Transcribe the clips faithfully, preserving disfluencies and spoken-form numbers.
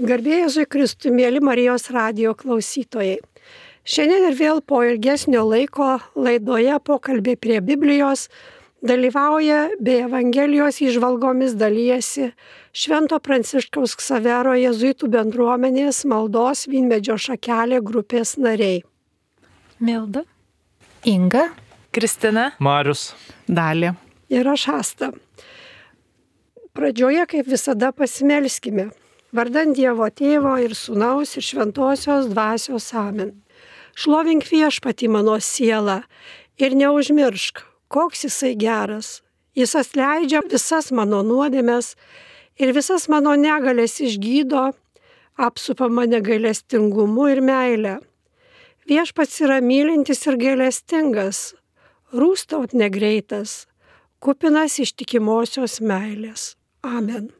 Garbė Jėzui Kristui, mėly Marijos radijo klausytojai. Šiandien ir vėl po ilgesnio laiko laidoje Pokalbiai prie Biblijos dalyvauja bei Evangelijos įžvalgomis dalyjasi Švento Pranciškaus Ksavero jėzuitų bendruomenės maldos Vynmedžio šakelė grupės nariai. Milda, Inga, Kristina, Marius, Dalė ir aš Asta. Pradžioje, kaip visada, pasimelskime. Vardant Dievo Tėvo ir Sūnaus ir Šventosios Dvasios amen. Šlovink Viešpatį mano sielą ir neužmiršk, koks jisai geras. Jis atleidžia visas mano nuodėmes ir visas mano negalės išgydo, apsupa mane gailestingumu ir meile. Viešpats yra mylintis ir gailestingas, rūstaut negreitas, kupinas ištikimosios meilės. Amen.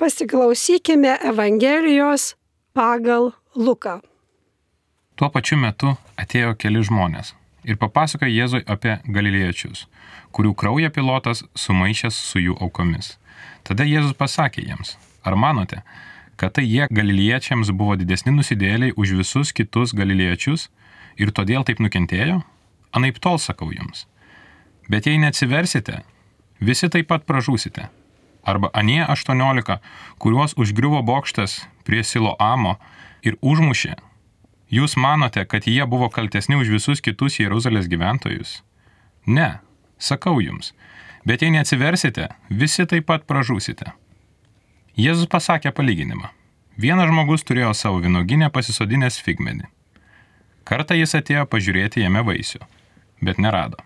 Pasiklausykime Evangelijos pagal Luką. Tuo pačiu metu atėjo keli žmonės ir papasakojo Jėzui apie galilėjiečius, kurių kraują Pilotas sumaišęs su jų aukomis. Tada Jėzus pasakė jiems: ar manote, kad tai jie galilėjiečiams buvo didesni nusidėjėliai už visus kitus galilėjiečius ir todėl taip nukentėjo? Anaiptol sakau jums. Bet jei neatsiversite, visi taip pat pražūsite. Arba anie aštuoniolika, kuriuos užgriuvo bokštas prie Siloamo ir užmušė. Jūs manote, kad jie buvo kaltesni už visus kitus Jeruzalės gyventojus? Ne, sakau jums, bet jei neatsiversite, visi taip pat pražūsite. Jėzus pasakė palyginimą. Vienas žmogus turėjo savo vynuogyne pasisodinęs figmedį. Kartą jis atėjo pažiūrėti jame vaisių, bet nerado.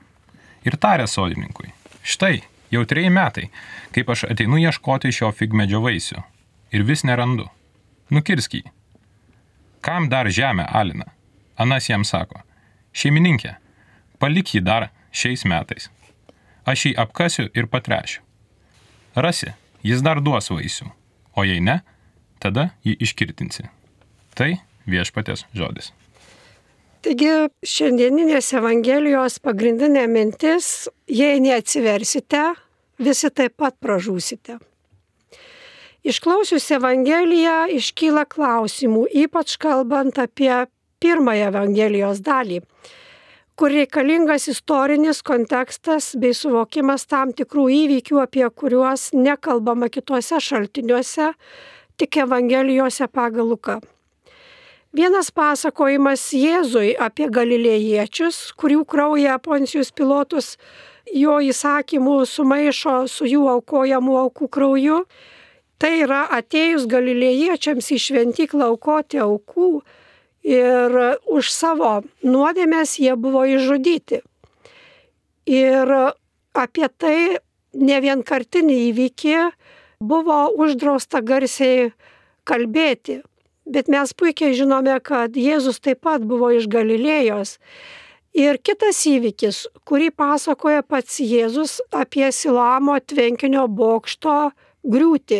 Ir tarė sodininkui: štai, jau treji metai, kaip aš ateinu ieškoti šio figmedžio vaisių ir vis nerandu. Nukirsk jį. Kam dar žemę alina? Anas jam sako: šeimininkė, palik jį dar šiais metais. Aš jį apkasiu ir patrešiu. Rasi, jis dar duos vaisių, o jei ne, tada jį iškirtinsi. Tai Viešpaties žodis. Taigi šiandieninės Evangelijos pagrindinė mintis: jei neatsiversite, visi taip pat pražūsite. Išklausius Evangeliją iškyla klausimų, ypač kalbant apie pirmąją Evangelijos dalį, kur reikalingas istorinis kontekstas bei suvokimas tam tikrų įvykių, apie kuriuos nekalbama kituose šaltiniuose, tik Evangelijose pagal Luką. Vienas pasakojimas Jėzui apie galilėjiečius, kurių kraują Poncijus Pilotus jo įsakymų sumaišo su jų aukojamų aukų krauju. Tai yra atėjus galilėjiečiams į šventyklą aukoti aukų ir už savo nuodėmes jie buvo išžudyti. Ir apie tai ne vienkartinį įvykį buvo uždrausta garsiai kalbėti. Bet mes puikiai žinome, kad Jėzus taip pat buvo iš Galilėjos. Ir kitas įvykis, kurį pasakoja pats Jėzus apie Siloamo tvenkinio bokšto griūtį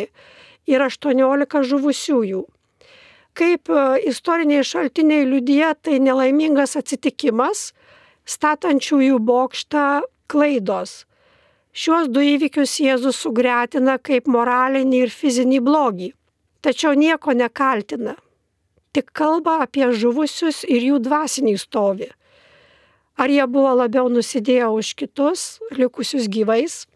ir aštuoniolika žuvusiųjų. Kaip istoriniai šaltiniai liudija, tai nelaimingas atsitikimas, statančiųjų bokštą klaidos. Šiuos du įvykius Jėzus sugretina kaip moralinį ir fizinį blogį. Tačiau nieko nekaltina, tik kalba apie žuvusius ir jų dvasinį stovį. Ar jie buvo labiau nusidėję už kitus, likusius gyvais?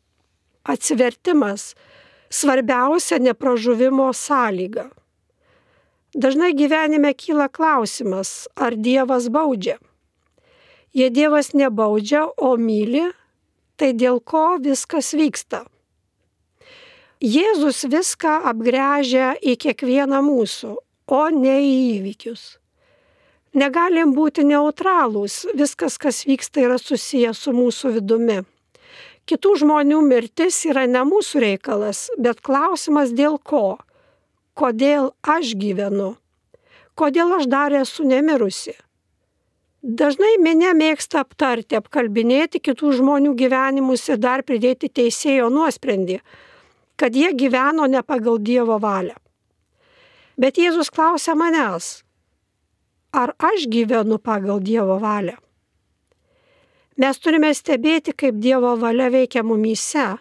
Atsivertimas – svarbiausia nepražuvimo sąlyga. Dažnai gyvenime kyla klausimas, ar Dievas baudžia. Jei Dievas nebaudžia, o myli, tai dėl ko viskas vyksta? Jėzus viską apgręžia į kiekvieną mūsų, o ne į įvykius. Negalim būti neutralūs, viskas, kas vyksta, yra susijęs su mūsų vidumi. Kitų žmonių mirtis yra ne mūsų reikalas, bet klausimas dėl ko? Kodėl aš gyvenu? Kodėl aš dar esu nemirusi? Dažnai minia mėgsta aptarti, apkalbinėti kitų žmonių gyvenimus ir dar pridėti teisėjo nuosprendį, kad jie gyveno ne pagal Dievo valią. Bet Jėzus klausia manęs: ar aš gyvenu pagal Dievo valią? Mes turime stebėti, kaip Dievo valia veikia mumyse.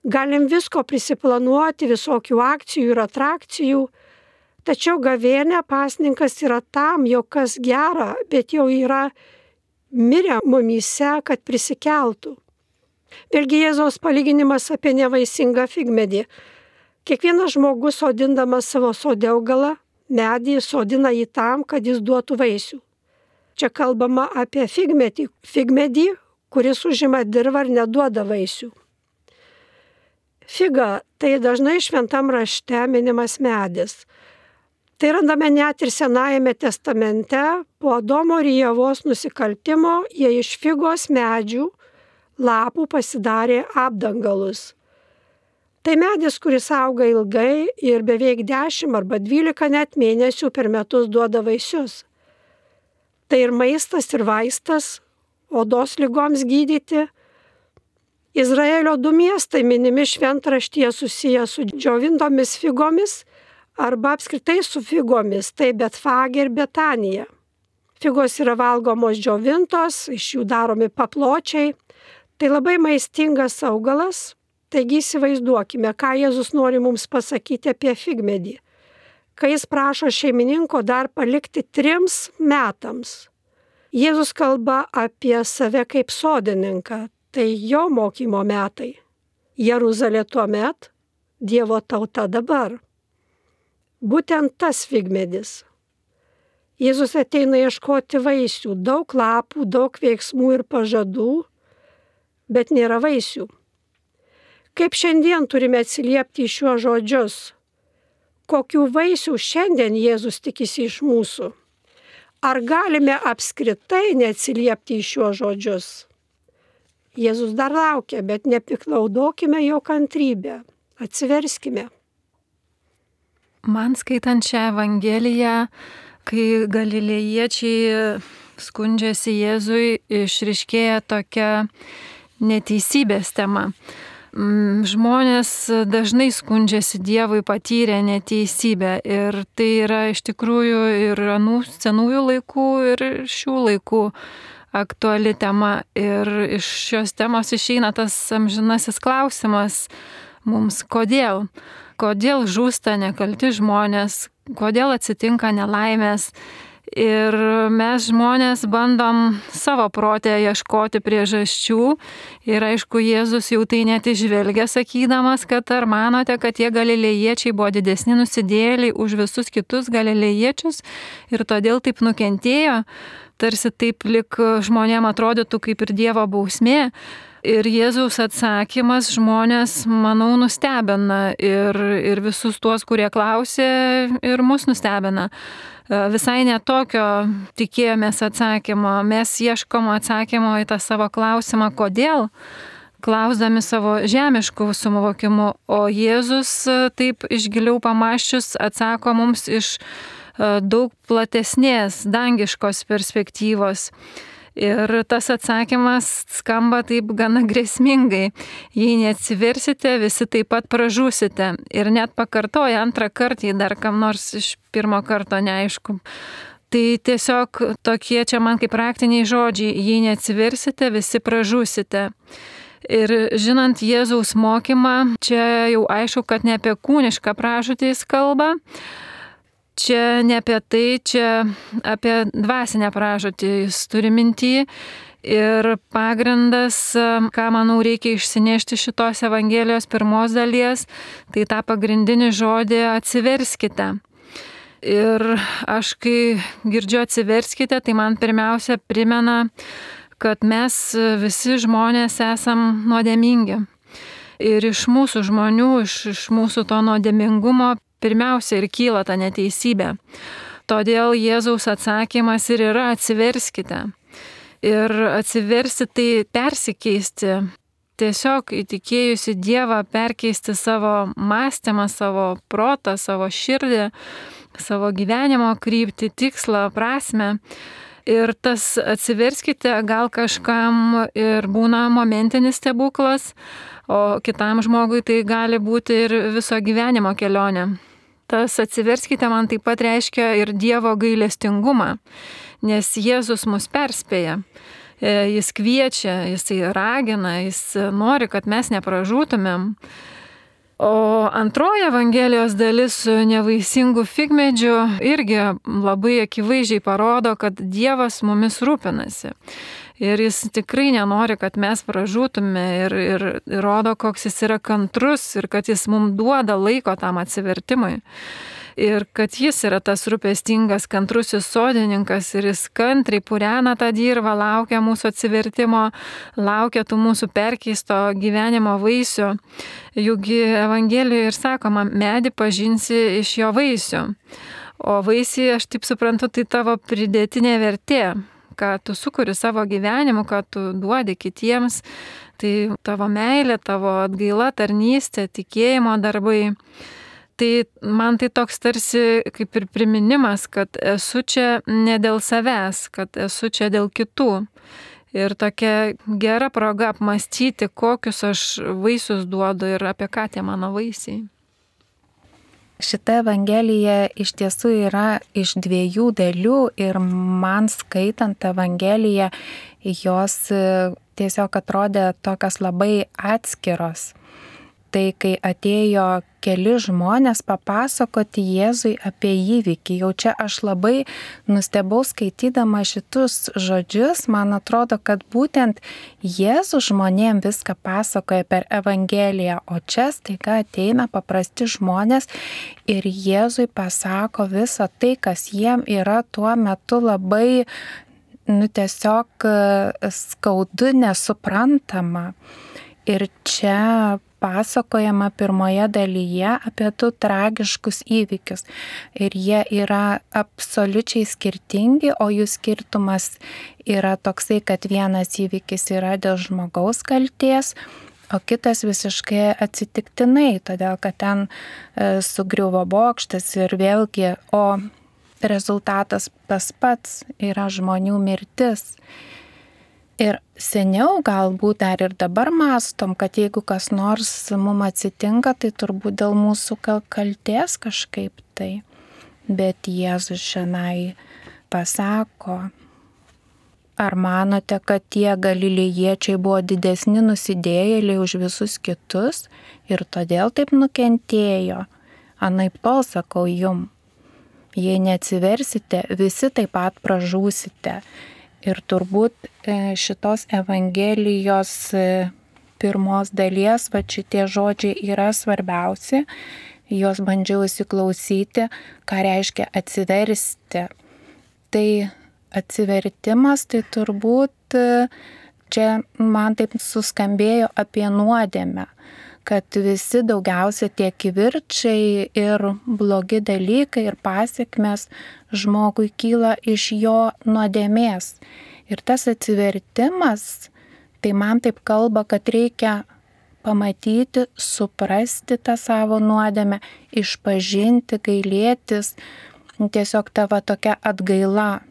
Galim visko prisiplanuoti, visokių akcijų ir atrakcijų, tačiau gavėnia pasninkas yra tam, jog kas gera, bet jau yra mirę mumyse, kad prisikeltų. Vėlgi Jėzaus palyginimas apie nevaisingą figmedį. Kiekvienas žmogus sodindamas savo sode augalą, medį sodina jį tam, kad jis duotų vaisių. Čia kalbama apie figmedį, figmedį, kuris užima dirvą ir neduoda vaisių. Figa tai dažnai šventam rašte minimas medis. Tai randame net ir Senajame testamente, po Adomo ir Ievos nusikaltimo jie iš figos medžių lapų pasidarė apdangalus. Tai medis, kuris auga ilgai ir beveik dešimt arba dvylika net mėnesių per metus duoda vaisius. Tai ir maistas, ir vaistas, odos ligoms gydyti. Izraelio du miestai minimi šventraštyje susiję su džiovintomis figomis arba apskritai su figomis, tai Betfagė ir Betanija. Figos yra valgomos džiovintos, iš jų daromi papločiai. Tai labai maistingas augalas, taigi įsivaizduokime, ką Jėzus nori mums pasakyti apie figmedį. Kai jis prašo šeimininko dar palikti trims metams. Jėzus kalba apie save kaip sodininką, tai jo mokymo metai. Jeruzalė tuomet, Dievo tauta dabar. Būtent tas figmedis. Jėzus ateina ieškoti vaisių, daug lapų, daug veiksmų ir pažadų, bet nėra vaisių. Kaip šiandien turime atsiliepti į šiuos žodžius? Kokių vaisių šiandien Jėzus tikisi iš mūsų? Ar galime apskritai neatsiliepti į šiuos žodžius? Jėzus dar laukia, bet nepiklaudokime jo kantrybę. Atsiverskime. Man skaitant šią Evangeliją, kai galilėjiečiai skundžiasi Jėzui, išryškėja tokia neteisybės tema. Žmonės dažnai skundžiasi Dievui patyrę neteisybę ir tai yra iš tikrųjų ir anų senųjų laikų ir šių laikų aktuali tema. Ir iš šios temos išeina tas amžinasis klausimas mums, kodėl? Kodėl žūsta nekalti žmonės, kodėl atsitinka nelaimės. Ir mes žmonės bandom savo protę ieškoti priežasčių. Ir aišku, Jėzus jau tai net išvelgia, sakydamas, kad ar manote, kad tie galilėjiečiai buvo didesni nusidėjėliai už visus kitus galilėjiečius ir todėl taip nukentėjo, tarsi taip lik žmonėm atrodytų kaip ir Dievo bausmė. Ir Jėzaus atsakymas žmonės, manau, nustebina ir, ir visus tuos, kurie klausė, ir mus nustebina. Visai netokio tikėjomės atsakymo. Mes ieškom atsakymo į tą savo klausimą, kodėl, klausdami savo žemiškų suvokimų, o Jėzus taip iš giliau pamąsčius atsako mums iš daug platesnės dangiškos perspektyvos. Ir tas atsakymas skamba taip gana grėsmingai. Jei neatsiversite, visi taip pat pražūsite. Ir net pakartoja antrą kartą, jei dar kam nors iš pirmo karto neaišku. Tai tiesiog tokie čia man kaip praktiniai žodžiai. Jei neatsiversite, visi pražūsite. Ir žinant Jėzaus mokymą, čia jau aišku, kad ne apie kūnišką pražūtį jis kalba. Čia ne apie tai, čia apie dvasinę pražūtį jis turi mintį. Ir pagrindas, ką manau reikia išsinešti šitos Evangelijos pirmos dalies, tai tą pagrindinį žodį atsiverskite. Ir aš kai girdžiu atsiverskite, tai man pirmiausia primena, kad mes visi žmonės esam nuodėmingi. Ir iš mūsų žmonių, iš, iš mūsų to nuodėmingumo pirmiausia ir kyla ta neteisybė. Todėl Jėzaus atsakymas ir yra atsiverskite. Ir atsiversti tai persikeisti. Tiesiog įtikėjusi Dievą perkeisti savo mąstymą, savo protą, savo širdį, savo gyvenimo kryptį, tikslą, prasmę. Ir tas atsiverskite gal kažkam ir būna momentinis stebuklas, o kitam žmogui tai gali būti ir viso gyvenimo kelionė. Tas atsiverskite man taip pat reiškia ir Dievo gailestingumą, nes Jėzus mus perspėja. Jis kviečia, jisai ragina, jis nori, kad mes nepražūtumėm. O antroji Evangelijos dalis su nevaisingu figmedžiu irgi labai akivaizdžiai parodo, kad Dievas mumis rūpinasi. Ir jis tikrai nenori, kad mes pražūtume ir, ir, ir rodo, koks jis yra kantrus ir kad jis mums duoda laiko tam atsivertimui. Ir kad jis yra tas rūpestingas, kantrusis sodininkas ir jis kantriai purena tą dirvą, laukia mūsų atsivertimo, laukia tų mūsų perkeisto gyvenimo vaisių. Juk Evangelijoje ir sakoma, medį pažinsi iš jo vaisių. O vaisiai, aš taip suprantu, tai tavo pridėtinė vertė, ką tu sukuri savo gyvenimu, ką tu duodi kitiems. Tai tavo meilė, tavo atgaila, tarnystė, tikėjimo darbai. Tai man tai toks tarsi kaip ir priminimas, kad esu čia ne dėl savęs, kad esu čia dėl kitų. Ir tokia gera proga apmastyti, kokius aš vaisius duodu ir apie ką tie mano vaisiai. Šita Evangelija iš tiesų yra iš dviejų dalių ir man skaitant Evangeliją, jos tiesiog atrodė tokios labai atskiros. Tai kai atėjo keli žmonės papasakoti Jėzui apie įvykį, jau čia aš labai nustebau skaitydama šitus žodžius, man atrodo, kad būtent Jėzus žmonėm viską pasakoja per Evangeliją, o čia staiga ateina paprasti žmonės ir Jėzui pasako visą tai, kas jiem yra tuo metu labai, nu tiesiog skaudu, nesuprantama. Ir čia pasakojama pirmoje dalyje apie du tragiškus įvykius. Ir jie yra absoliučiai skirtingi, o jų skirtumas yra toksai, kad vienas įvykis yra dėl žmogaus kaltės, o kitas visiškai atsitiktinai, todėl kad ten e, sugriuvo bokštas ir vėlgi, o rezultatas tas pats yra žmonių mirtis. Ir seniau galbūt dar ir dabar mąstom, kad jeigu kas nors mums atsitinka, tai turbūt dėl mūsų kaltės kažkaip tai. Bet Jėzus šiandien pasako, ar manote, kad tie galilėjiečiai buvo didesni nusidėjėliai už visus kitus ir todėl taip nukentėjo? Anaiptol sakau jum, jei neatsiversite, visi taip pat pražūsite. Ir turbūt šitos Evangelijos pirmos dalies, va šitie žodžiai yra svarbiausi, juos bandžiau įsiklausyti, ką reiškia atsiversti. Tai atsivertimas, tai turbūt čia man taip suskambėjo apie nuodėmę, kad visi daugiausia tie kivirčiai ir blogi dalykai ir pasiekmes žmogui kyla iš jo nuodėmės. Ir tas atsivertimas, tai man taip kalba, kad reikia pamatyti, suprasti tą savo nuodėmę, išpažinti, gailėtis, tiesiog tavo tokia atgaila.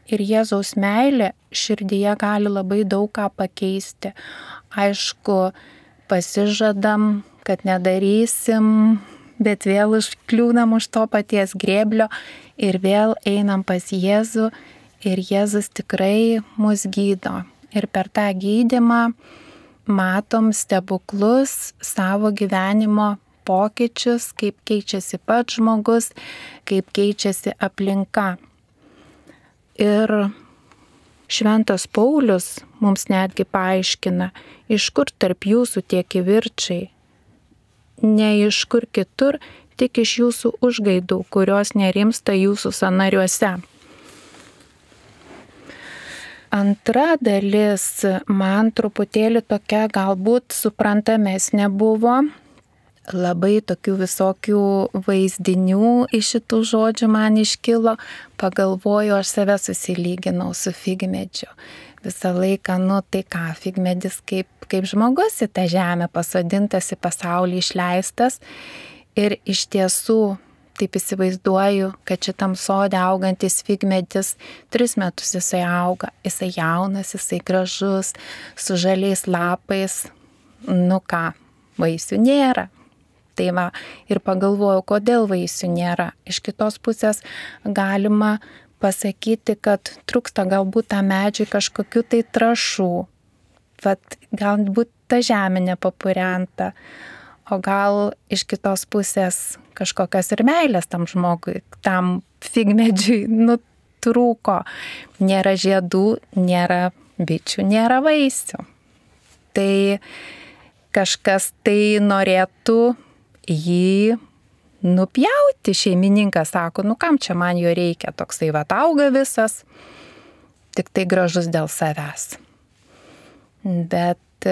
Ir Jėzaus meilė širdyje gali labai daug ką pakeisti. Aišku, pasižadam, kad nedarysim, bet vėl užkliūnam už to paties grėblio ir vėl einam pas Jėzų ir Jėzus tikrai mus gydo. Ir per tą gydymą matom stebuklus savo gyvenimo pokyčius, kaip keičiasi pats žmogus, kaip keičiasi aplinka. Ir Šventas Paulius mums netgi paaiškina, iš kur tarp jūsų tie kivirčiai, ne iš kur kitur, tik iš jūsų užgaidų, kurios nerimsta jūsų sąnariuose. Antra dalis man truputėlį tokia galbūt suprantamesnė buvo. Labai tokių visokių vaizdinių iš šitų žodžių man iškilo. Pagalvoju, aš save susilyginau su figmedžiu. Visą laiką, nu tai ką, figmedis kaip, kaip žmogus į tą žemę pasodintas, į pasaulį išleistas. Ir iš tiesų, taip įsivaizduoju, kad šitam sode augantis figmedis tris metus jisai auga. Jisai jaunas, jisai gražus, su žaliais lapais. Nu ką, vaisių nėra. Tai va, ir pagalvojau, kodėl vaisių nėra. Iš kitos pusės galima pasakyti, kad trūksta galbūt tą medžiui kažkokių tai trašų, vat galbūt ta žemė nepapurenta, o gal iš kitos pusės kažkokios ir meilės tam žmogui, tam figmedžiui, nu, trūko. Nėra žiedų, nėra bičių, nėra vaisių. Tai kažkas tai norėtų jį nupjauti. Šeimininkas sako, nu kam čia man jo reikia, toksai vat auga visas, tik tai gražus dėl savęs. Bet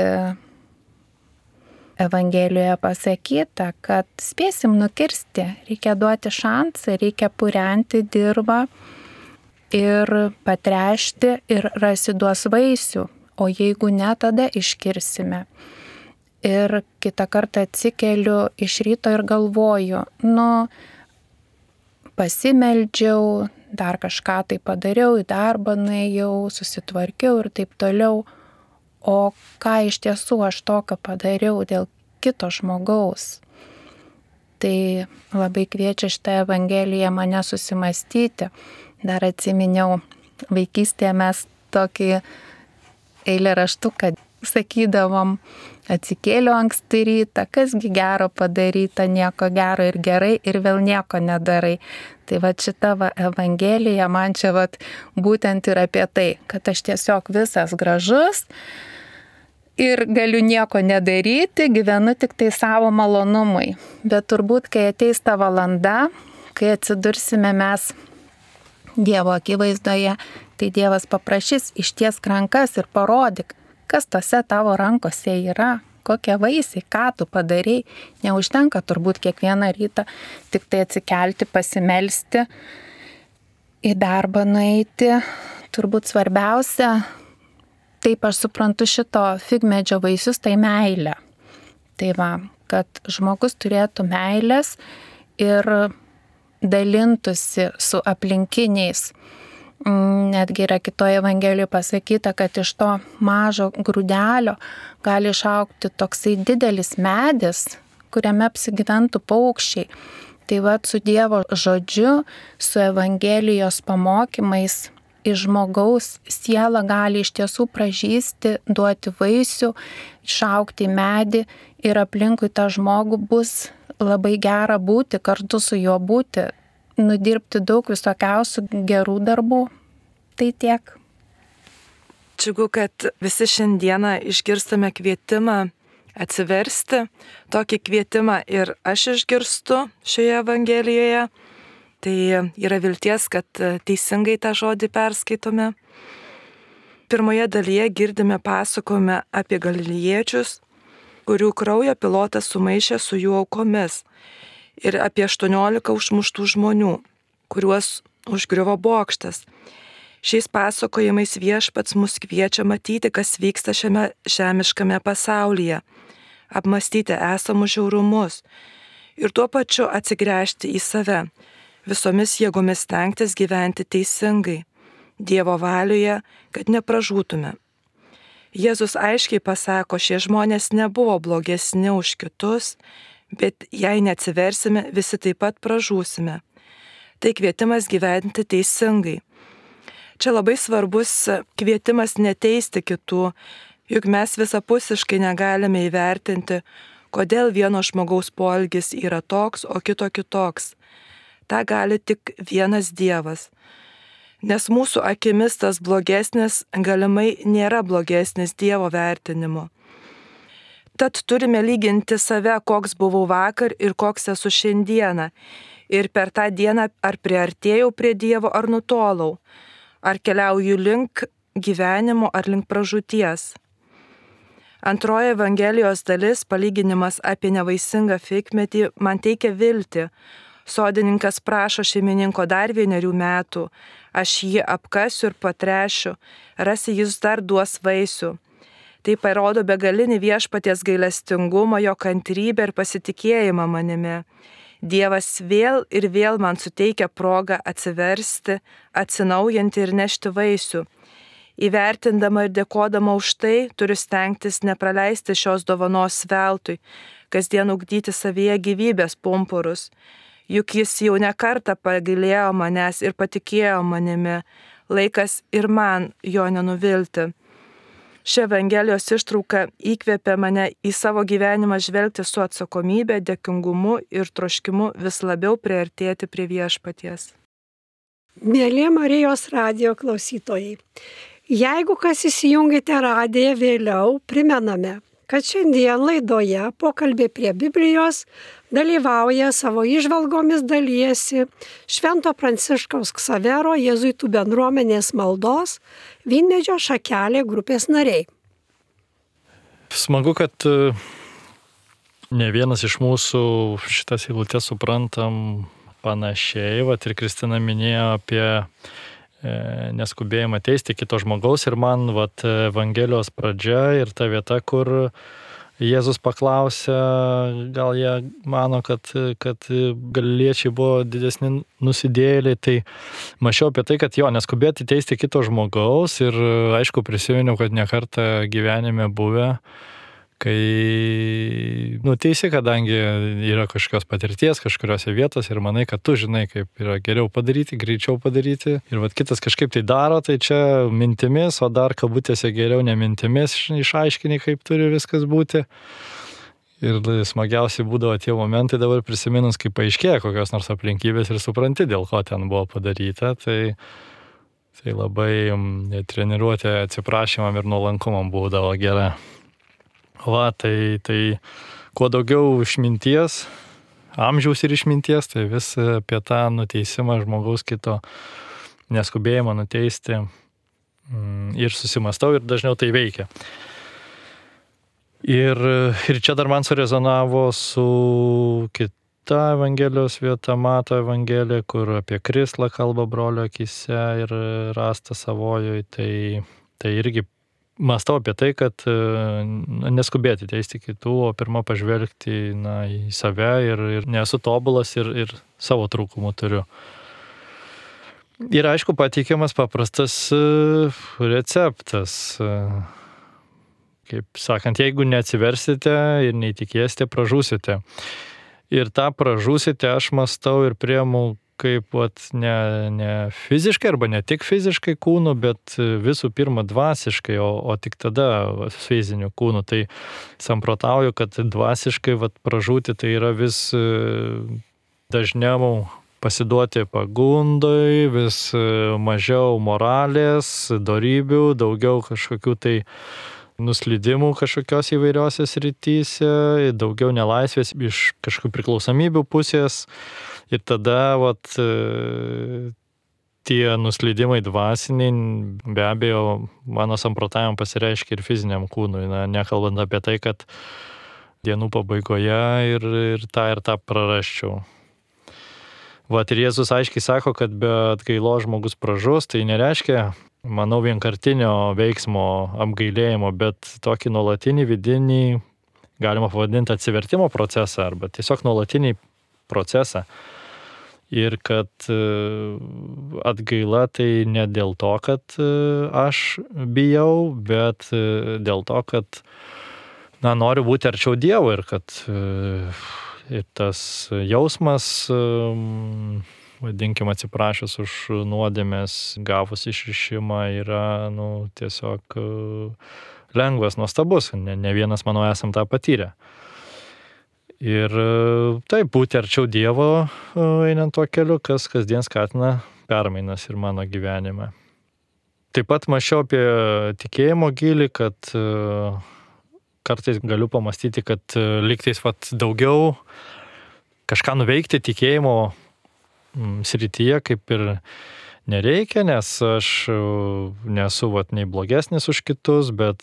Evangelijoje pasakyta, kad spėsim nukirsti, reikia duoti šansą, reikia purenti dirvą ir patrešti ir rasi duos vaisių, o jeigu ne, tada iškirsime. Ir kitą kartą atsikeliu iš ryto ir galvoju, nu, pasimeldžiau, dar kažką tai padariau, į darbą nuėjau, susitvarkiau ir taip toliau. O ką iš tiesų aš tokio padariau dėl kito žmogaus? Tai labai kviečia šitą Evangeliją mane susimastyti. Dar atsiminiau, vaikystėje mes tokį eilėraštuką sakydavom, atsikėliau anksti rytą, kasgi gero padaryta, nieko gero ir gerai, ir vėl nieko nedarai. Tai va šita va Evangelija man čia va būtent ir apie tai, kad aš tiesiog visas gražus ir galiu nieko nedaryti, gyvenu tik tai savo malonumui. Bet turbūt, kai ateis ta valanda, kai atsidursime mes Dievo akivaizdoje, tai Dievas paprašys ištiesk rankas ir parodyk, kas tose tavo rankose yra, kokie vaisiai, ką tu padarei. Neužtenka turbūt kiekvieną rytą tik tai atsikelti, pasimelsti, į darbą nueiti. Turbūt svarbiausia, taip aš suprantu šito figmedžio vaisius, tai meilė. Tai va, kad žmogus turėtų meilės ir dalintųsi su aplinkiniais. Netgi yra kitoje Evangelijoje pasakyta, kad iš to mažo grūdelio gali išaugti toksai didelis medis, kuriame apsigyventų paukščiai. Tai va, su Dievo žodžiu, su Evangelijos pamokymais iš žmogaus siela gali iš tiesų pražysti, duoti vaisių, išaugti medį ir aplinkui tą žmogų bus labai gera būti, kartu su juo būti, nudirbti daug visokiausių gerų darbų. Tai tiek. Džiugu, kad visi šiandieną išgirstame kvietimą atsiversti. Tokį kvietimą ir aš išgirstu šioje Evangelijoje. Tai yra vilties, kad teisingai tą žodį perskaitome. Pirmoje dalyje girdime pasakojimą apie galilėjiečius, kurių kraują pilotas sumaišė su jų aukomis, ir apie aštuoniolika užmuštų žmonių, kuriuos užgriuvo bokštas. Šiais pasakojimais viešpats mus kviečia matyti, kas vyksta šiame žemiškame pasaulyje, apmastyti esamus žiaurumus ir tuo pačiu atsigręžti į save, visomis jėgomis stengtis gyventi teisingai, Dievo valioje, kad nepražūtume. Jėzus aiškiai pasako, šie žmonės nebuvo blogesni už kitus, bet jei neatsiversime, visi taip pat pražūsime. Tai kvietimas gyventi teisingai. Čia labai svarbus kvietimas neteisti kitų, juk mes visapusiškai negalime įvertinti, kodėl vieno žmogaus poelgis yra toks, o kito kitoks. Ta gali tik vienas Dievas. Nes mūsų akimis tas blogesnis galimai nėra blogesnis Dievo vertinimu. Tad turime lyginti save, koks buvau vakar ir koks esu šiandieną. Ir per tą dieną ar priartėjau prie Dievo, ar nutolau. Ar keliauju link gyvenimo, ar link pražūties. Antroji Evangelijos dalis, palyginimas apie nevaisingą figmedį, man teikia viltį. Sodininkas prašo šeimininko dar vienerių metų. Aš jį apkasiu ir patrešiu, rasi jis dar duos vaisių. Tai parodo begalinį viešpaties gailestingumą, jo kantrybę ir pasitikėjimą manimi. Dievas vėl ir vėl man suteikia progą atsiversti, atsinaujinti ir nešti vaisių. Įvertindama ir dėkodama už tai, turiu stengtis nepraleisti šios dovanos veltui, kasdien ugdyti savyje gyvybės pumpurus. juk jis jau ne kartą pagailėjo manęs ir patikėjo manimi, laikas ir man jo nenuvilti. Ši Evangelijos ištrauka įkvėpė mane į savo gyvenimą žvelgti su atsakomybė, dėkingumu ir troškimu vis labiau priartėti prie Viešpaties. Mėly Marijos radijo klausytojai, jeigu kas įsijungite radiją vėliau, primename, kad šiandien laidoje Pokalbiai prie Biblijos dalyvauja savo įžvalgomis dalyjasi Švento Pranciškaus Ksavero jėzuitų bendruomenės maldos Vynmedžio šakelė grupės nariai. Smagu, kad ne vienas iš mūsų šitas eilutes suprantam panašiai. Vat ir Kristina minėjo apie neskubėjimą teisti kito žmogaus ir man vat Evangelijos pradžia ir ta vieta, kur Jėzus paklausė, gal jie mano, kad, kad galiliečiai buvo didesni nusidėjėliai, tai mačiau apie tai, kad jo, neskubėti teisti kito žmogaus ir aišku prisiminiau, kad ne kartą gyvenime buvę, kai nuteisi, kadangi yra kažkokios patirties kažkuriose vietose ir manai, kad tu žinai, kaip yra geriau padaryti, greičiau padaryti ir vat kitas kažkaip tai daro, tai čia mintimis, o dar kabutėse geriau ne mintimis išaiškini, kaip turi viskas būti. Ir smagiausiai būdavo tie momentai dabar prisiminus, kai paaiškėja kokios nors aplinkybės ir supranti, dėl ko ten buvo padaryta, tai, tai labai treniruotė atsiprašymam ir nuolankumam būdavo gera. Va, tai, tai kuo daugiau išminties, amžiaus ir išminties, tai vis apie tą nuteisimą žmogaus kito neskubėjimą nuteisti ir susimastau ir dažniau tai veikia. Ir, ir čia dar man surezonavo su kita Evangelijos vieta, Mato Evangelija, kur apie krislą kalba brolio akise ir rasta savojoj, tai, tai irgi mąstau apie tai, kad neskubėti teisti kitų, o pirmą pažvelgti na, į save ir, ir nesu tobulas ir, ir savo trūkumų turiu. Ir aišku, pateikiamas paprastas receptas. Kaip sakant, jeigu neatsiversite ir neįtikėsite, pražūsite. Ir tą pražūsite aš mąstau ir priemu kaip vat, ne, ne fiziškai arba ne tik fiziškai kūnu, bet visų pirma dvasiškai, o, o tik tada fiziniu kūnu. Tai samprotauju, kad dvasiškai vat, pražūti tai yra vis dažniau pasiduoti pagundai, vis mažiau moralės, dorybių, daugiau kažkokių tai nuslydimų kažkokios įvairiose srityse, daugiau nelaisvės iš kažkokių priklausomybių pusės. Ir tada vat, tie nuslydimai dvasiniai, be abejo, mano samprotavimam pasireiškia ir fiziniam kūnui, na, nekalbant apie tai, kad dienų pabaigoje ir, ir tą ir tą prarasčiau. Vat ir Jėzus aiškiai sako, kad be atgailos žmogus pražus, tai nereiškia, manau, vienkartinio veiksmo apgailėjimo, bet tokį nuolatinį vidinį, galima pavadinti atsivertimo procesą, arba tiesiog nuolatinį procesą. Ir kad atgaila tai ne dėl to, kad aš bijau, bet dėl to, kad na, noriu būti arčiau Dievo ir kad ir tas jausmas, vadinkim, atsiprašęs už nuodėmės, gavus išrišimą yra nu, tiesiog lengvas, nuostabus. Ne, ne vienas, manau, esam tą patyrę. Ir taip, būti arčiau Dievo einant tuo keliu, kas kasdien skatina permainas ir mano gyvenime. Taip pat mąsčiau apie tikėjimo gilį, kad kartais galiu pamastyti, kad lygtais vat, daugiau kažką nuveikti tikėjimo srityje kaip ir nereikia, nes aš nesu vat, nei blogesnis už kitus, bet,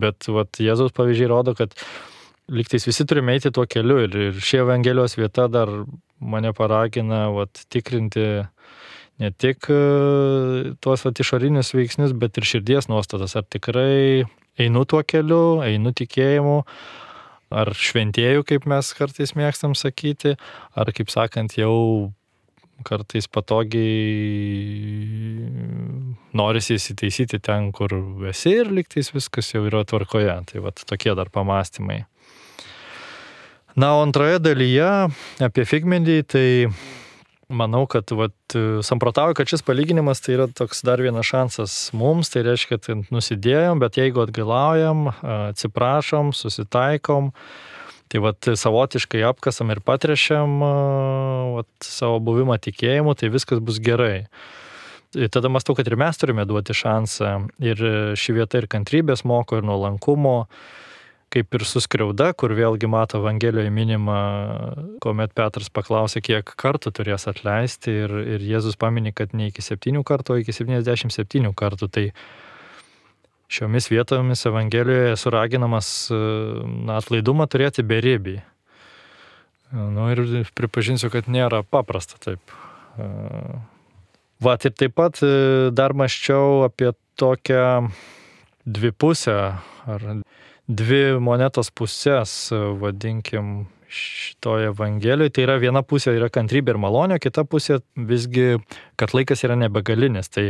bet vat, Jėzaus pavyzdžiai rodo, kad lygtais visi turime eiti tuo keliu ir, ir ši Evangelijos vieta dar mane paragina vat, tikrinti ne tik tuos vat, išorinius veiksnius, bet ir širdies nuostatas. Ar tikrai einu tuo keliu, einu tikėjimu, ar šventėju, kaip mes kartais mėgstam sakyti, ar, kaip sakant, jau kartais patogiai norisi įsitaisyti ten, kur esi ir lygtais viskas jau yra tvarkoje. Tai vat, tokie dar pamastymai. Na, o antroje dalyje apie figmedį, tai manau, kad vat, samprotauju, kad šis palyginimas tai yra toks dar vienas šansas mums, tai reiškia, kad nusidėjom, bet jeigu atgailaujam, atsiprašom, susitaikom, tai vat, savotiškai apkasam ir patrešiam vat, savo buvimą tikėjimu, tai viskas bus gerai. Ir tada mąstau, kad ir mes turime duoti šansą. Ir ši vieta ir kantrybės moko, ir nuolankumo, kaip ir suskriauda, kur vėlgi mato Evangelijoje minima, kuomet Petras paklausė, kiek kartų turės atleisti, ir, ir Jėzus paminė, kad ne iki septynių kartų, o iki septyniasdešimt septynių kartų. Tai šiomis vietomis Evangelijoje suraginamas na, atlaidumą turėti beribį. Nu, ir pripažinsiu, kad nėra paprasta taip. Vat ir taip pat dar mąsčiau apie tokią dvipusę ar dvi monetos pusės, vadinkim, šitoje Evangelijoje. Tai yra viena pusė yra kantrybė ir malonė, kita pusė visgi, kad laikas yra nebegalinis. Tai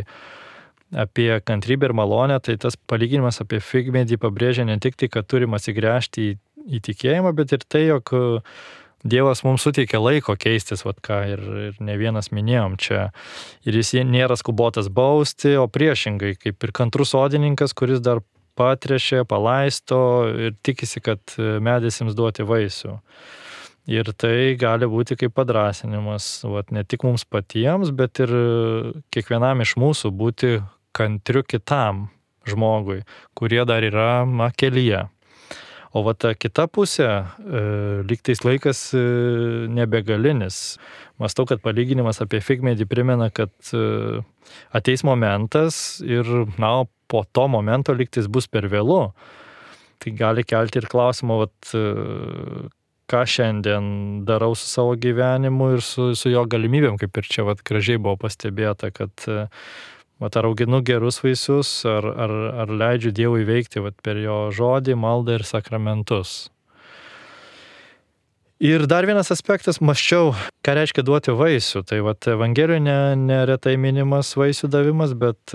apie kantrybę ir malonę, tai tas palyginimas apie figmedį pabrėžia ne tik tai, kad turim atsigręžti į, į tikėjimą, bet ir tai, jog Dievas mums suteikia laiko keistis, vat ką ir, ir ne vienas minėjom čia. Ir jis nėra skubotas bausti, o priešingai, kaip ir kantrus sodininkas, kuris dar patrešė, palaisto ir tikisi, kad medis jums duoti vaisių. Ir tai gali būti kaip padrąsinimas, vat, ne tik mums patiems, bet ir kiekvienam iš mūsų būti kantriu kitam žmogui, kurie dar yra na, kelyje. O va ta kita pusė, e, lygtais laikas e, nebegalinis. Mąstau, kad palyginimas apie figmedį primena, kad e, ateis momentas ir na, po to momento lygtais bus per vėlu. Tai gali kelti ir klausimą, vat, e, ką šiandien darau su savo gyvenimu ir su, su jo galimybėm, kaip ir čia vat, gražiai buvo pastebėta, kad e, vat, ar auginu gerus vaisius, ar, ar, ar leidžiu Dievui veikti vat, per jo žodį, maldą ir sakramentus. Ir dar vienas aspektas, mąsčiau, ką reiškia duoti vaisių. Tai vat, Evangelijoje ne, neretai minimas vaisių davimas, bet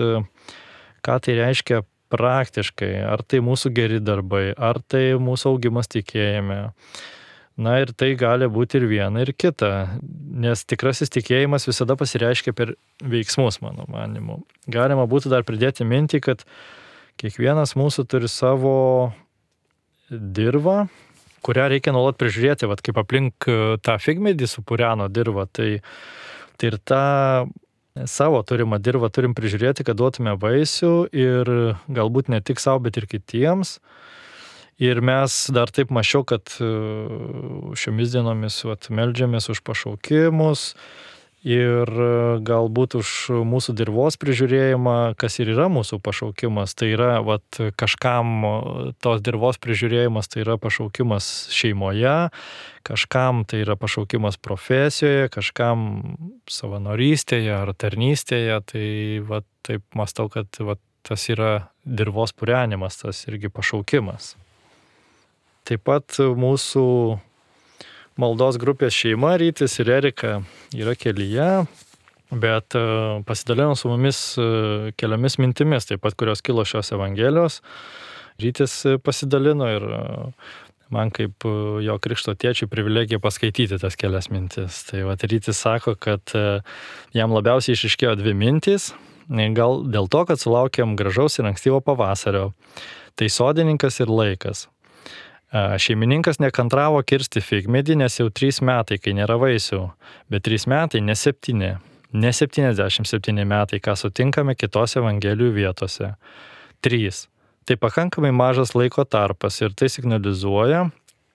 ką tai reiškia praktiškai. Ar tai mūsų geri darbai, ar tai mūsų augimas tikėjime. Na ir tai gali būti ir viena, ir kita, nes tikrasis tikėjimas visada pasireiškia per veiksmus, mano manimu. Galima būtų dar pridėti mintį, kad kiekvienas mūsų turi savo dirvą, kurią reikia nuolat prižiūrėti, vat, kaip aplink tą figmedį supureno dirvą, tai, tai ir tą savo turimą dirvą turim prižiūrėti, kad duotume vaisių ir galbūt ne tik savo, bet ir kitiems. Ir mes dar taip mačiau, kad šiomis dienomis vat, meldžiamės už pašaukimus ir galbūt už mūsų dirvos prižiūrėjimą, kas ir yra mūsų pašaukimas. Tai yra vat, kažkam tos dirvos prižiūrėjimas, tai yra pašaukimas šeimoje, kažkam tai yra pašaukimas profesijoje, kažkam savanorystėje ar tarnystėje. Tai vat, taip mąstau, kad vat, tas yra dirvos purenimas, tas irgi pašaukimas. Taip pat mūsų maldos grupės šeima, Rytis ir Erika, yra kelyje, bet pasidalino su mumis keliomis mintimis, taip pat kurios kilo šios Evangelijos. Rytis pasidalino ir man kaip jo krikšto tėčiui privilegija paskaityti tas kelias mintis. Tai vat Rytis sako, kad jam labiausiai išryškėjo dvi mintys, gal dėl to, kad sulaukėm gražaus ir ankstyvo pavasario. Tai sodininkas ir laikas. Šeimininkas nekantravo kirsti figmedį, nes jau trys metai, kai nėra vaisių, bet trys metai, ne septyni, ne septyniasdešimt septyni metai, ką sutinkame kitose Evangelijų vietose. Trys. Tai pakankamai mažas laiko tarpas ir tai signalizuoja,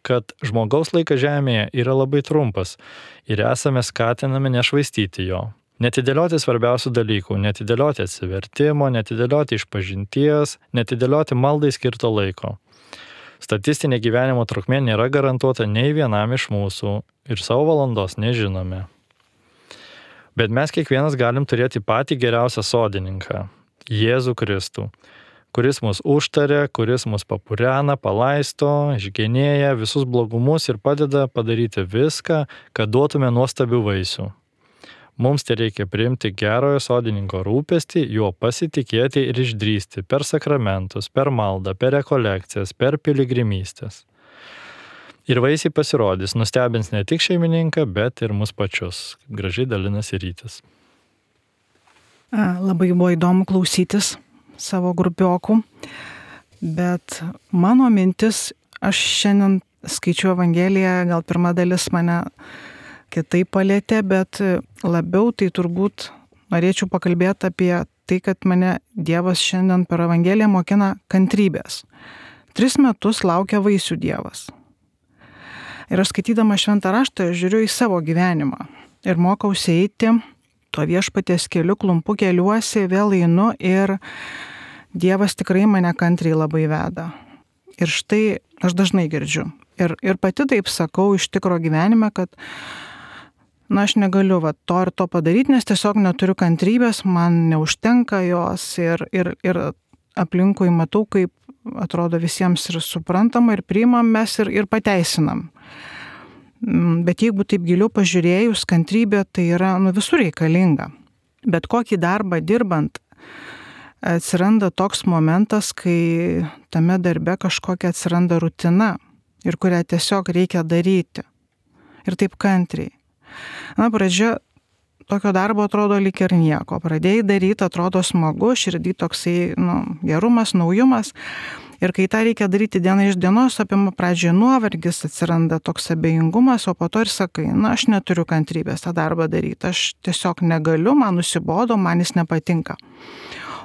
kad žmogaus laikas žemėje yra labai trumpas ir esame skatinami nešvaistyti jo. Netidėlioti svarbiausių dalykų, netidėlioti atsivertimo, netidėlioti išpažinties, netidėlioti maldai skirto laiko. Statistinė gyvenimo trukmė nėra garantuota nei vienam iš mūsų ir savo valandos nežinome. Bet mes kiekvienas galim turėti patį geriausią sodininką – Jėzų Kristų, kuris mus užtaria, kuris mus papurena, palaisto, išgenėja visus blogumus ir padeda padaryti viską, kad duotume nuostabių vaisių. Mums tai reikia priimti gerojo sodininko rūpestį, juo pasitikėti ir išdrįsti per sakramentus, per maldą, per rekolekcijas, per piligrimystės. Ir vaisiai pasirodys, nustebins ne tik šeimininką, bet ir mus pačius. Gražiai dalinasi Rytis. Labai buvo įdomu klausytis savo grupiokų, bet mano mintis, aš šiandien skaičiu Evangeliją, gal pirma dalis mane kitaip palėtė, bet labiau tai turbūt norėčiau pakalbėti apie tai, kad mane Dievas šiandien per Evangeliją mokina kantrybės. Tris metus laukia vaisių Dievas. Ir aš skaitydama šventą raštą žiūriu į savo gyvenimą ir mokausi eiti tuo viešpaties keliu, klumpu keliuosi, vėl einu ir Dievas tikrai mane kantriai labai veda. Ir štai aš dažnai girdžiu. Ir, ir pati taip sakau iš tikro gyvenime, kad na, aš negaliu va, to ir to padaryti, nes tiesiog neturiu kantrybės, man neužtenka jos ir, ir, ir aplinkui matau, kaip atrodo visiems ir suprantama, ir priimam mes ir, ir pateisinam. Bet jeigu taip giliau pažiūrėjus, kantrybė tai yra nu, visur reikalinga. Bet kokį darbą dirbant atsiranda toks momentas, kai tame darbe kažkokia atsiranda rutina ir kurią tiesiog reikia daryti. Ir taip kantriai. Na, pradžia tokio darbo atrodo lyg ir nieko. Pradėjai daryti, atrodo smagu, širdį toksai nu, gerumas, naujumas. Ir kai tą reikia daryti diena iš dienos, apima pradžioje nuovargis, atsiranda toks abejingumas, o po to ir sakai, na, aš neturiu kantrybės tą darbą daryti, aš tiesiog negaliu, man nusibodo, man jis nepatinka.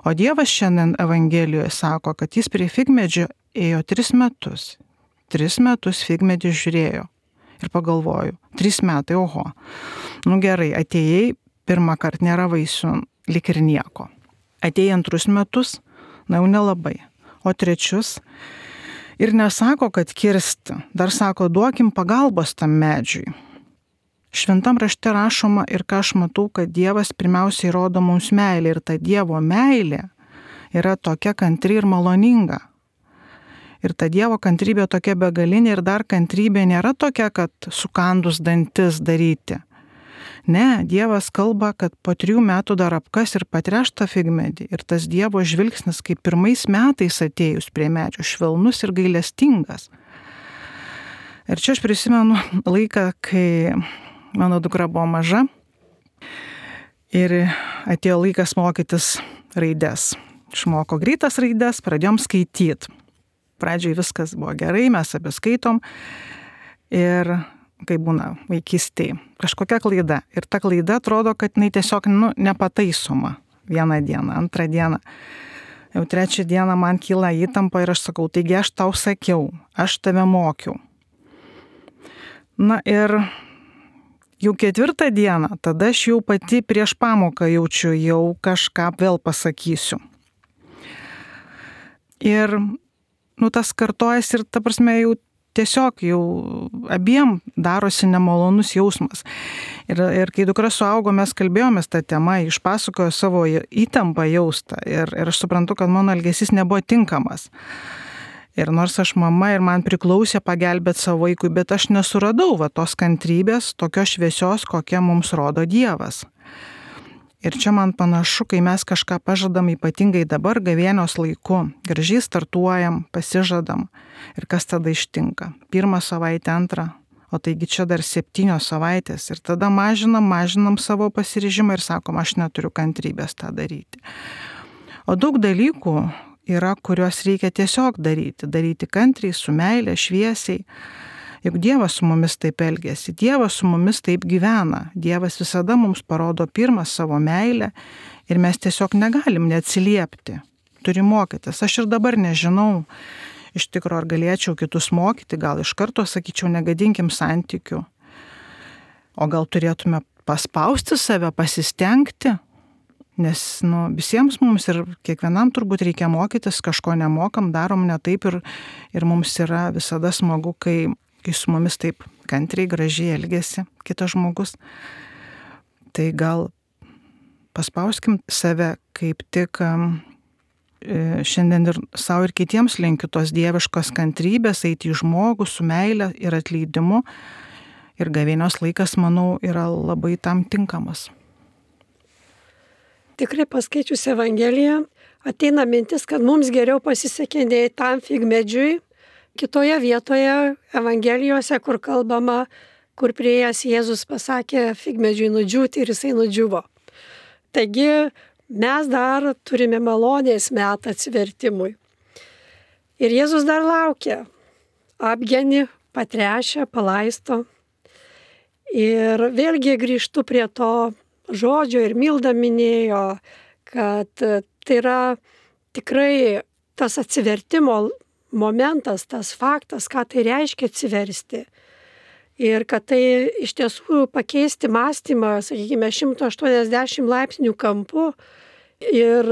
O Dievas šiandien Evangelijoje sako, kad jis prie figmedžio ėjo tris metus. Tris metus figmedį žiūrėjo. Ir pagalvoju, trys metai, oho. Nu gerai, atėjai, pirmą kartą nėra vaisių, lik ir nieko. Atėjai antrus metus, na jau nelabai. O trečius ir nesako, kad kirsti, dar sako, duokim pagalbos tam medžiui. Šventam rašte rašoma ir ką aš matau, kad Dievas pirmiausiai rodo mums meilę ir ta Dievo meilė yra tokia kantri ir maloninga. Ir ta Dievo kantrybė tokia begalinė ir dar kantrybė nėra tokia, kad sukandus dantis daryti. Ne, Dievas kalba, kad po trijų metų dar apkas ir patreš tą figmedį. Ir tas Dievo žvilgsnis, kaip pirmais metais atėjus prie medžio, švelnus ir gailestingas. Ir čia aš prisimenu laiką, kai mano dukra buvo maža ir atėjo laikas mokytis raides. Išmoko greitas raides, pradėjom skaityti. Pradžiai viskas buvo gerai, mes abi skaitom ir kaip būna vaikystėje, kažkokia klaida. Ir ta klaida atrodo, kad jinai tiesiog nu, nepataisoma vieną dieną, antrą dieną. Jau trečią dieną man kyla įtampa ir aš sakau, taigi aš tau sakiau, aš tave mokiau. Na ir jau ketvirtą dieną, tada aš jau pati prieš pamoką jaučiu, jau kažką vėl pasakysiu. Ir nu, tas kartojas ir ta prasme jau tiesiog jau abiem darosi nemalonus jausmas. Ir, ir kai dukra suaugo, mes kalbėjomės tą temą, išpasakojo savo įtampą jaustą. Ir, ir aš suprantu, kad mano elgesys nebuvo tinkamas. Ir nors aš mama ir man priklausė pagelbėti savo vaikui, bet aš nesuradau va, tos kantrybės, tokios šviesios, kokią mums rodo Dievas. Ir čia man panašu, kai mes kažką pažadam ypatingai dabar gavėnios laiku, gražiai startuojam, pasižadam ir kas tada ištinka. Pirmą savaitę, antrą, o taigi čia dar septynios savaitės ir tada mažinam, mažinam savo pasiryžimą ir sakom, aš neturiu kantrybės tą daryti. O daug dalykų yra, kuriuos reikia tiesiog daryti, daryti kantriai, su meile, šviesiai. Juk Dievas su mumis taip elgiasi, Dievas su mumis taip gyvena, Dievas visada mums parodo pirmą savo meilę ir mes tiesiog negalim neatsiliepti, turi mokytis. Aš ir dabar nežinau, iš tikro ar galėčiau kitus mokyti, gal iš karto sakyčiau, negadinkim santykių, o gal turėtume paspausti save, pasistengti, nes nu, visiems mums ir kiekvienam turbūt reikia mokytis, kažko nemokam, darom ne taip ir, ir mums yra visada smagu, kai kai su mumis taip kantriai, gražiai elgesi kitas žmogus, tai gal paspauskim save kaip tik šiandien ir savo ir kitiems linkiu tos dieviškos kantrybės, eiti į žmogų su meile ir atleidimu. Ir gavėnios laikas, manau, yra labai tam tinkamas. Tikrai paskaičius Evangeliją, ateina mintis, kad mums geriau pasisekė nei tam figmedžiui, kitoje vietoje Evangelijose, kur kalbama, kur prieėjęs Jėzus pasakė figmedžiui nudžiūti ir jisai nudžiuvo. Taigi mes dar turime malonės metą atsivertimui. Ir Jėzus dar laukia, apgeni, patrešia, palaisto. Ir vėlgi grįžtu prie to žodžio ir Milda minėjo, kad tai yra tikrai tas atsivertimo momentas, tas faktas, ką tai reiškia atsiversti. Ir kad tai iš tiesų pakeisti mąstymą, sakykime, šimtas aštuoniasdešimt laipsnių kampu. Ir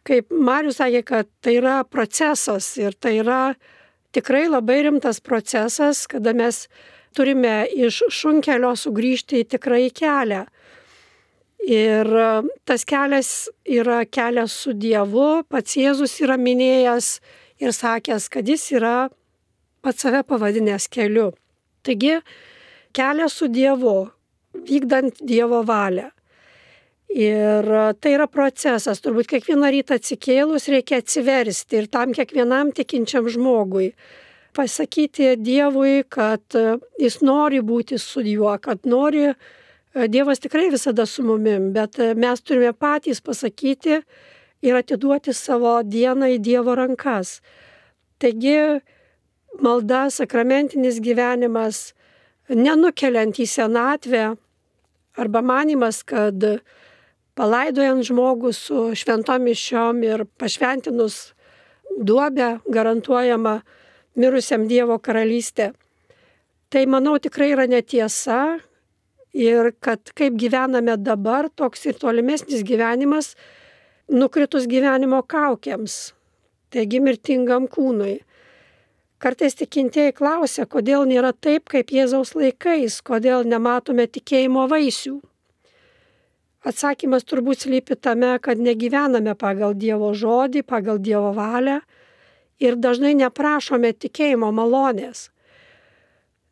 kaip Marius sakė, kad tai yra procesas ir tai yra tikrai labai rimtas procesas, kada mes turime iš šunkelio sugrįžti į tikrąjį kelią. Ir tas kelias yra kelias su Dievu, pats Jėzus yra minėjęs ir sakęs, kad jis yra pats save pavadinęs keliu. Taigi, kelias su Dievu, vykdant Dievo valią. Ir tai yra procesas, turbūt kiekvieną rytą atsikėlus reikia atsiversti ir tam kiekvienam tikinčiam žmogui pasakyti Dievui, kad jis nori būti su juo, kad nori, Dievas tikrai visada su mumim, bet mes turime patys pasakyti ir atiduoti savo dieną į Dievo rankas. Taigi malda, sakramentinis gyvenimas, nenukeliant į senatvę arba manimas, kad palaidojant žmogų su šventom mišiom ir pašventinus duobę garantuojama mirusiam Dievo karalystė. Tai, manau, tikrai yra netiesa ir kad kaip gyvename dabar, toks ir tolimesnis gyvenimas nukritus gyvenimo kaukėms, taigi mirtingam kūnui. Kartais tikintieji klausia, kodėl nėra taip, kaip Jėzaus laikais, kodėl nematome tikėjimo vaisių. Atsakymas turbūt slypi tame, kad negyvename pagal Dievo žodį, pagal Dievo valią ir dažnai neprašome tikėjimo malonės.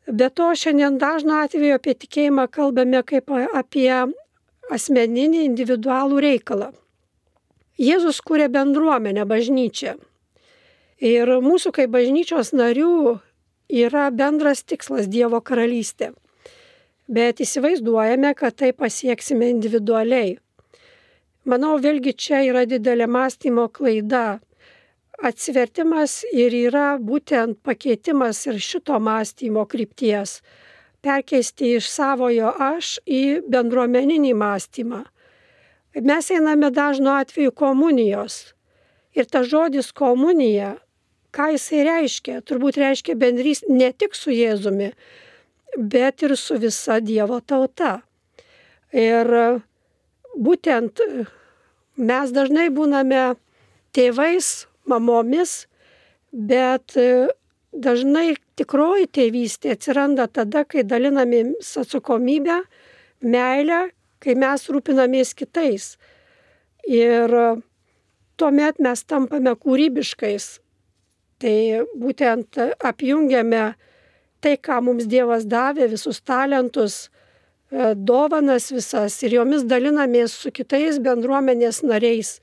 Be to, šiandien dažnu atveju apie tikėjimą kalbame kaip apie asmeninį, individualų reikalą. Jėzus kūrė bendruomenę, bažnyčią. Ir mūsų kaip bažnyčios narių yra bendras tikslas Dievo karalystė. Bet įsivaizduojame, kad tai pasieksime individualiai. Manau, vėlgi čia yra didelė mąstymo klaida. Atsivertimas ir yra būtent pakeitimas ir šito mąstymo krypties. Perkeisti iš savojo aš į bendruomeninį mąstymą. Mes einame dažnu atveju komunijos. Ir tas žodis komunija, ką jisai reiškia? Turbūt reiškia bendrys ne tik su Jėzumi, bet ir su visa Dievo tauta. Ir būtent mes dažnai būname tėvais, mamomis, bet dažnai tikroji tėvystė atsiranda tada, kai dalinamės atsakomybę, meilę, kai mes rūpinamės kitais. Ir tuomet mes tampame kūrybiškais. Tai būtent apjungiame tai, ką mums Dievas davė, visus talentus, dovanas visas ir jomis dalinamės su kitais bendruomenės nariais.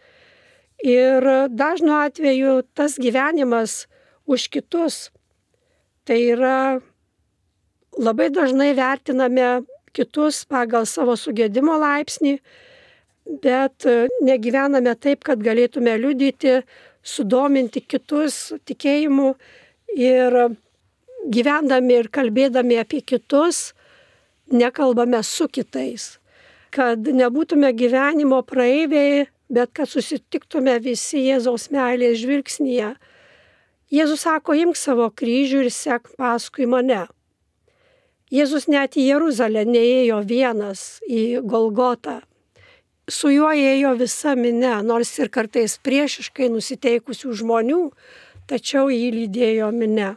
Ir dažnu atveju tas gyvenimas už kitus, tai yra labai dažnai vertiname kitus pagal savo sugėdimo laipsnį, bet negyvename taip, kad galėtume liudyti, sudominti kitus tikėjimu ir gyvendami ir kalbėdami apie kitus, nekalbame su kitais. Kad nebūtume gyvenimo praeiviai, bet kad susitiktume visi Jėzaus meilės žvilgsnyje. Jėzus sako, imk savo kryžių ir sek paskui mane. Jėzus net į Jeruzalę neėjo vienas, į Golgotą. Su juo ėjo visa minia, nors ir kartais priešiškai nusiteikusių žmonių, tačiau jį lydėjo minia.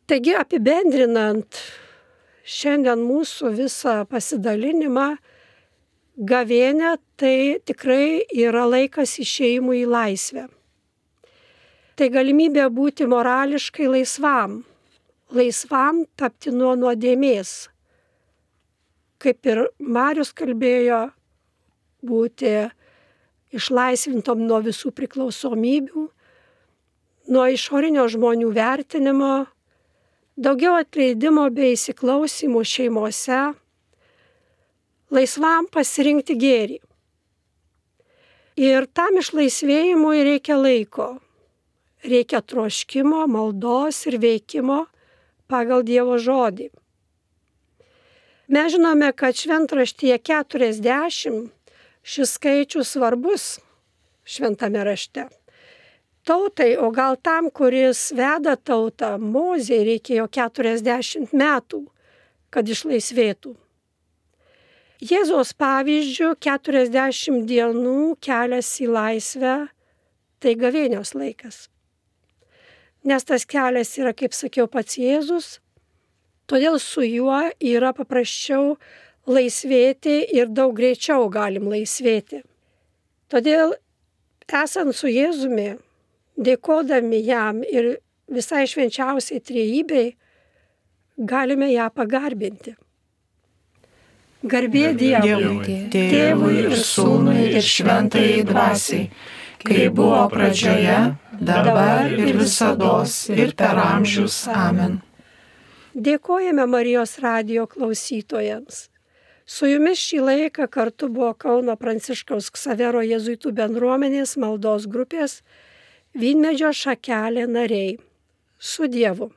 Taigi apibendrinant šiandien mūsų visą pasidalinimą, gavėnia tai tikrai yra laikas išėjimui į laisvę. Tai galimybė būti morališkai laisvam, laisvam tapti nuo nuodėmės. Kaip ir Marius kalbėjo, būti išlaisvintom nuo visų priklausomybių, nuo išorinio žmonių vertinimo, daugiau atleidimo bei įsiklausimų šeimose, laisvam pasirinkti gėrį. Ir tam išlaisvėjimui reikia laiko, reikia troškimo, maldos ir veikimo pagal Dievo žodį. Mes žinome, kad šventraštyje keturiasdešimt šis skaičius svarbus šventame rašte. Tautai, o gal tam, kuris veda tautą, Mozei reikėjo keturiasdešimt metų, kad išlaisvėtų. Jėzaus pavyzdžių keturiasdešimt dienų kelias į laisvę, tai gavėnios laikas. Nes tas kelias yra, kaip sakiau, pats Jėzus, todėl su juo yra paprasčiau laisvėti ir daug greičiau galim laisvėti. Todėl, esant su Jėzumi, dėkodami jam ir visai švenčiausiai trejybei, galime ją pagarbinti. Garbė Dievui, Tėvui ir Sūnui ir Šventajai Dvasiai, kai buvo pradžioje, dabar ir visados ir per amžius. Amen. Dėkojame Marijos radijo klausytojams. Su jumis šį laiką kartu buvo Kauno Pranciškaus Ksavero jėzuitų bendruomenės maldos grupės Vynmedžio šakelė nariai. Su Dievu.